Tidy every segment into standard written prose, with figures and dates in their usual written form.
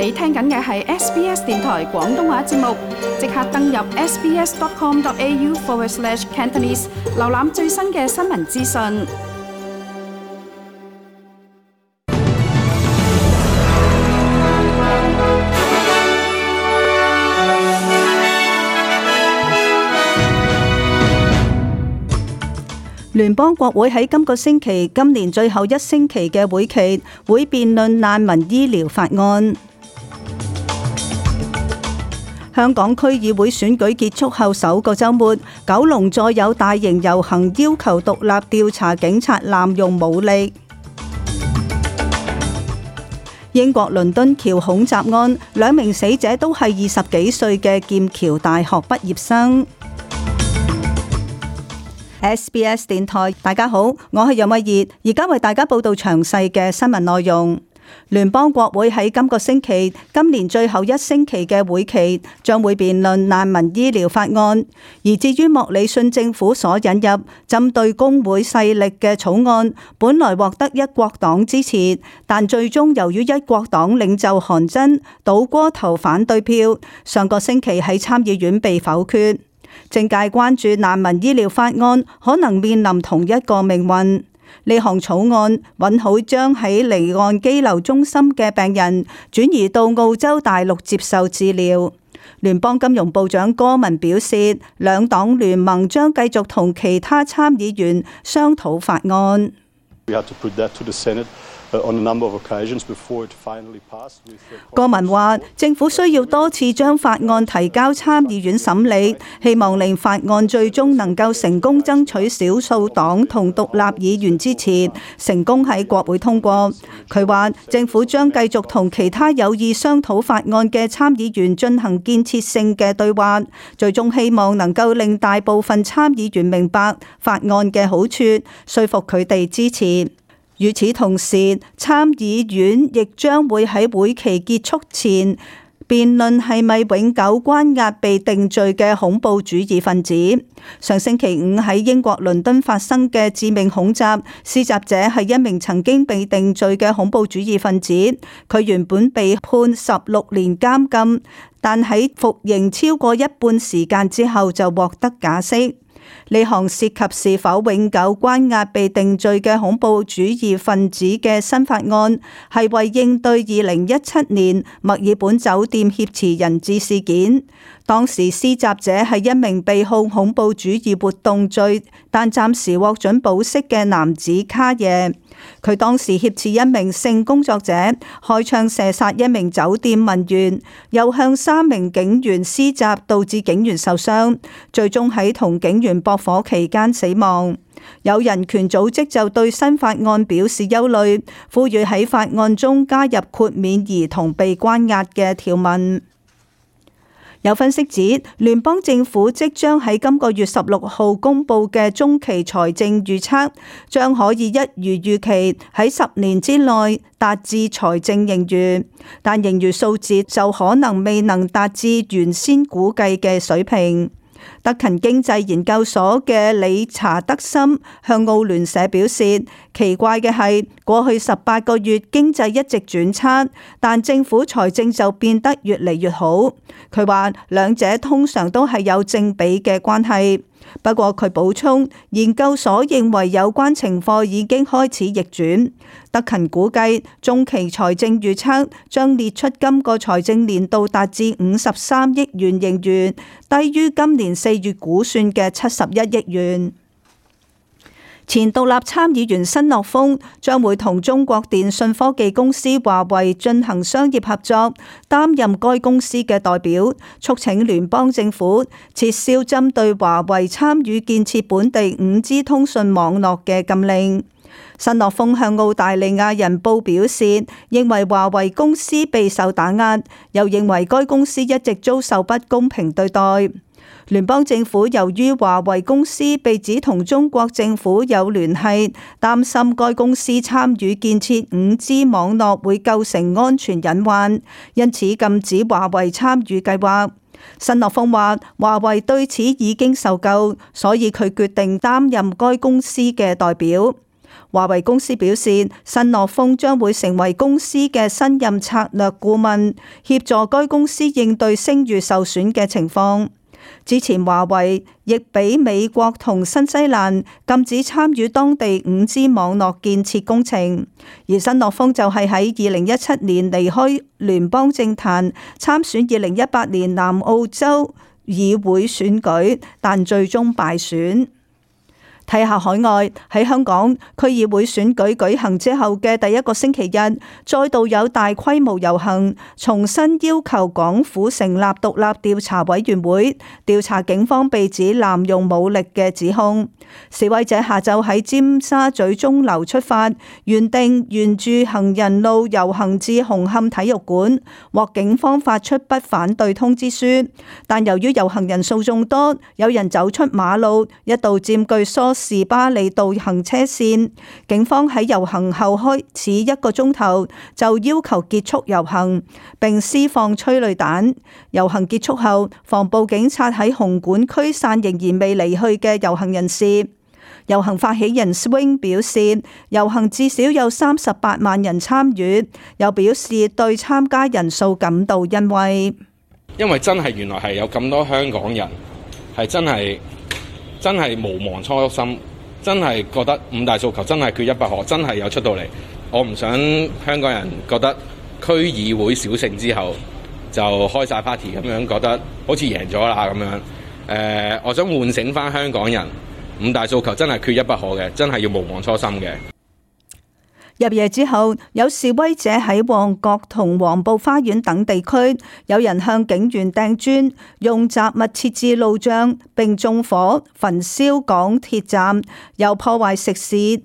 你聽緊嘅係 SBS 電台廣東話節目，即刻登入 sbs.com.au/Cantonese 瀏覽最新嘅新聞資訊。聯邦國會喺今個星期，今年最後一星期嘅會期，會辯論難民醫療法案。香港區議會選舉結束後首個週末，九龍再有大型遊行要求獨立調查警察濫用武力。英國倫敦橋恐襲案，兩名死者都係20幾歲嘅劍橋大學畢業生。SBS 電台，大家好，我係楊慧儀，而家為大家報道詳細嘅新聞內容。聯邦國會喺今個星期，今年最後一星期嘅會期，將會辯論難民醫療法案。而至於莫里遜政府所引入針對工會勢力嘅草案，本來獲得一國黨支持，但最終由於一國黨領袖韓真倒戈投反對票，上個星期喺參議院被否決。政界關注難民醫療法案可能面臨同一個命運。呢項草案允許將喺離岸羈留中心嘅病人轉移到澳洲大陸接受治療。聯邦金融部長戈文表示，兩黨聯盟將繼續同其他參議員商討法案。戈文話，政府需要多次將法案提交參議院審理，希望令法案最終能夠成功爭取少數黨同獨立議員支持，成功喺國會通過。佢話，政府將繼續同其他有意商討法案嘅參議員進行建設性嘅對話，最終希望能夠令大部分參議員明白法案嘅好處，說服佢哋支持。與此同時，參議院亦將會喺會期結束前辯論係咪永久關押被定罪嘅恐怖主義分子。上星期五喺英國倫敦發生嘅致命恐襲，施襲者係一名曾經被定罪嘅恐怖主義分子。佢原本被判16年監禁，但喺服刑超過一半時間之後就獲得假釋。呢項涉及是否永久關押被定罪嘅恐怖主義分子嘅新法案，係為應對2017年墨爾本酒店挾持人質事件。當時施襲者係一名被控恐怖主義活動罪，但暫時獲准保釋嘅男子卡耶。佢當時挾持一名性工作者，開槍射殺一名酒店文員，又向3名警員施襲，導致警員受傷，最終喺同警員駁火期間死亡。有人權組織就對新法案表示憂慮，呼籲喺法案中加入豁免兒童被關押嘅條文。有分析指，聯邦政府即將喺今個月16號公佈嘅中期財政預測，將可以一如預期喺10年之內達至財政盈餘，但盈餘數字就可能未能達至原先估計嘅水平。德勤經濟研究所嘅理查德森向澳聯社表示，奇怪嘅係過去18個月經濟一直轉差，但政府財政就變得越嚟越好。佢話兩者通常都係有正比嘅關係。不過佢補充，研究所認為有關情況已經開始逆轉。德勤估計中期財政預測將列出今個財政年度達至53億元盈餘，低於今年4月估算嘅71億元。前獨立參議員申諾峰將會同中國電信科技公司華為進行商業合作，擔任該公司嘅代表，促請聯邦政府撤銷針對華為參與建設本地5G 通訊網絡嘅禁令。申諾峰向澳大利亞人報表示，認為華為公司備受打壓，又認為該公司一直遭受不公平對待。聯邦政府由於華為公司被指同中國政府有聯繫，擔心該公司參與建設5G 網絡會構成安全隱患，因此禁止華為參與計劃。申諾峰話，華為對此已經受夠，所以佢決定擔任該公司嘅代表。華為公司表示，申諾峰將會成為公司嘅新任策略顧問，協助該公司應對聲譽受損嘅情況。之前華為亦俾美國同新西蘭禁止參與當地5G 網絡建設工程，而申諾峰就係喺2017年離開聯邦政壇，參選2018年南澳洲議會選舉，但最終敗選。睇下海外，喺香港區議會選舉舉行之後嘅第一個星期日，再度有大規模遊行，重新要求港府成立獨立調查委員會，調查警方被指濫用武力嘅指控。示威者下晝喺尖沙咀鐘樓出發，原定沿住行人路遊行至紅磡體育館，獲警方發出不反對通知書。但由於遊行人數眾多，有人走出馬路，一度佔據梳士巴利道行車線，警方喺遊行後開始1個鐘頭就要求結束遊行，並施放催淚彈。遊行結束後，防暴警察喺紅館驅散仍然未離去嘅遊行人士。遊行發起人 Swing 表示，遊行至少有38萬人參與，又表示對參加人數感到欣慰。因為真係原來係有咁多香港人係真係無忘初心，真係覺得5大訴求真係缺一不可，真係有出到嚟。我唔想香港人覺得區議會小勝之後就開晒 party 咁樣，覺得好似贏咗啦咁樣。我想喚醒翻香港人，5大訴求真係缺一不可嘅，真係要無忘初心嘅。入夜之後，有示威者喺旺角同黃埔花園等地區，有人向警員掟磚，用雜物設置路障，並縱火焚燒港鐵站，又破壞食肆、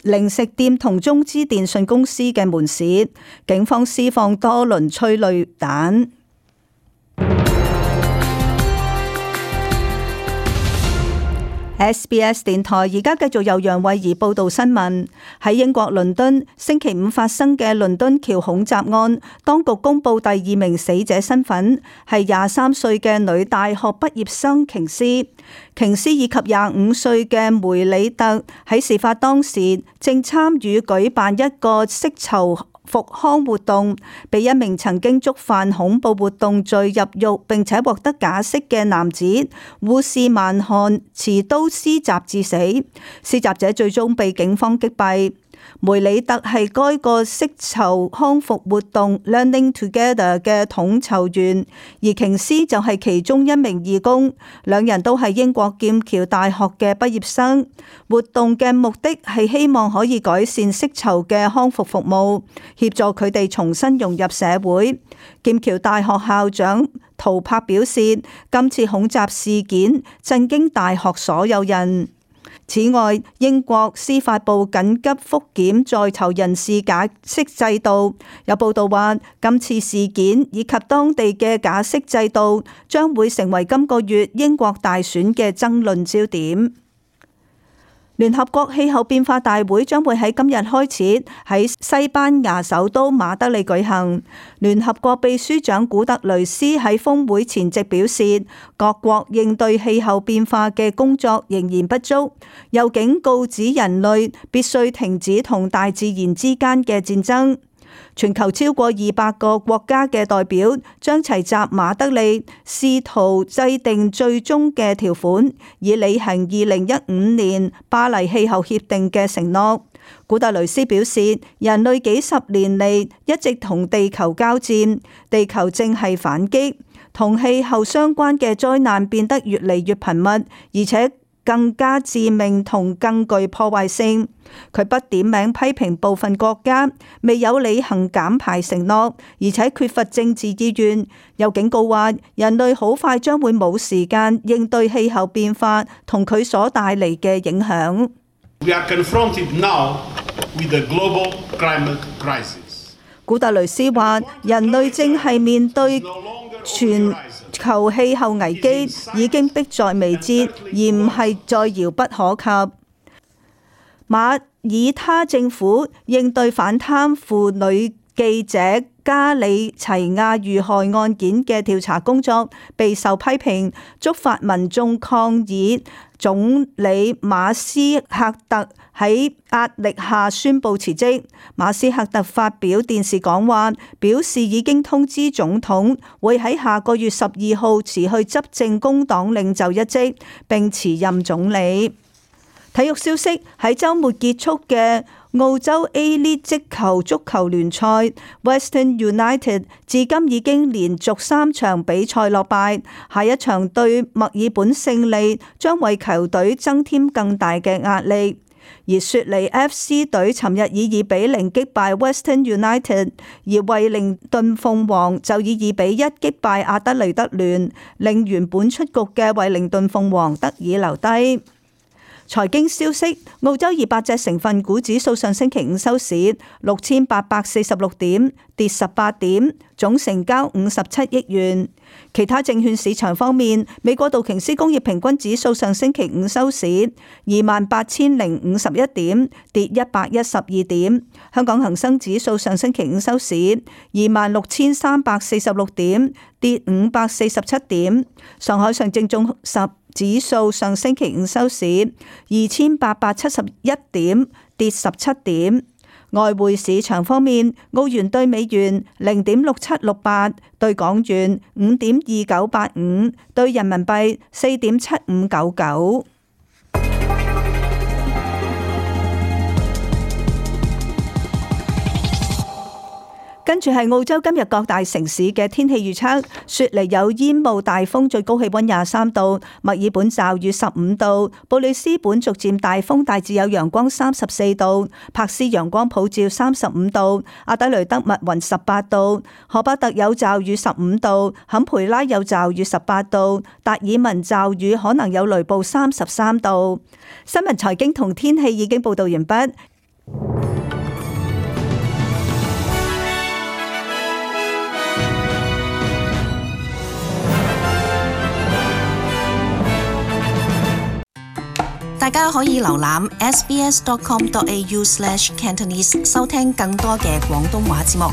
零食店同中資電信公司嘅門市。警方施放多輪催淚彈。SBS 電台而家繼續由楊慧儀報道新聞。喺英國倫敦星期5發生嘅倫敦橋恐襲案，當局公布第2名死者身份係23歲嘅女大學畢業生瓊斯。瓊斯以及25歲嘅梅里特喺事發當時正參與舉辦一個釋囚復康活動，被一名曾經觸犯恐怖活動罪入獄並且獲得假釋嘅男子護士曼漢持刀施襲致死，施襲者最終被警方擊斃。梅里特係該個釋囚康復活動 Learning Together 嘅統籌員，而瓊斯就係其中一名義工，兩人都係英國劍橋大學嘅畢業生。活動嘅目的係希望可以改善釋囚嘅康復服務，協助佢哋重新融入社會。劍橋大學校長陶柏表示，今次恐襲事件震驚大學所有人。此外，英國司法部緊急復檢在囚人士假釋制度。有報道話，今次事件以及當地嘅假釋制度將會成為今個月英國大選嘅爭論焦點。聯合國氣候變化大會將會喺今日開始喺西班牙首都馬德里舉行。聯合國秘書長古特雷斯喺峰會前夕表示，各國應對氣候變化嘅工作仍然不足，又警告指人類必須停止同大自然之間嘅戰爭。全球超過200個國家嘅代表將齊集馬德里，試圖制定最終嘅條款，以履行2015年巴黎氣候協定嘅承諾。古特雷斯表示，人類幾十年嚟一直同地球交戰，地球正係反擊，同氣候相關嘅災難變得越嚟越頻密，而且更加致命同更具破壞性。佢不點名批評部分國家未有履行減排承諾，而且缺乏政治意願，又警告話人類好快將會冇時間應對氣候變化同佢所帶嚟嘅影響。We are confronted now with the global climate crisis. 古特雷斯話，人類正係面對全球氣候危機，已經迫在眉睫，而唔係再遙不可及。馬耳他政府應對反貪腐女記者加里齊亞遇害案件嘅調查工作備受批評，觸發民眾抗議。總理馬斯克特喺壓力下宣布辭職。馬斯克特發表電視講話，表示已經通知總統會喺下個月12號辭去執政工黨領袖一職，並辭任總理。體育消息，喺週末結束嘅澳洲 A-League 職球足球聯賽 ，Western United 至今已經連續3場比賽落敗，下一場對墨爾本勝利將為球隊增添更大嘅壓力。而雪梨 FC 隊尋日以2-0擊敗 Western United， 而惠靈頓鳳凰就以2-1擊敗阿德雷德聯，令原本出局嘅惠靈頓鳳凰得以留低。財經消息，澳洲200隻成分股指數上星期五收市6846點，跌18點，總成交57億元。其他證券市場方面，美國道瓊斯工業平均指數上星期五收市28,051點，跌112點。香港恒生指數上星期五收市26,346點，跌547點。上海上證綜合指數上星期五收市2871點，跌17點。外匯市場方面，澳元兌美元0.6768，兌港元5.2985，兌人民幣4.7599。跟住係澳洲今日各大城市嘅天氣預測：雪梨有煙霧大風，最高氣溫23度；墨爾本驟雨15度；布里斯本逐漸大風，大致有陽光34度；柏斯陽光普照35度；阿德雷德密雲18度；荷巴特有驟雨15度；坎培拉有驟雨18度；達爾文驟雨可能有雷暴33度。新聞財經同天氣已經報道完畢。大家可以瀏覽 sbs.com.au/cantonese 收聽更多嘅廣東話節目。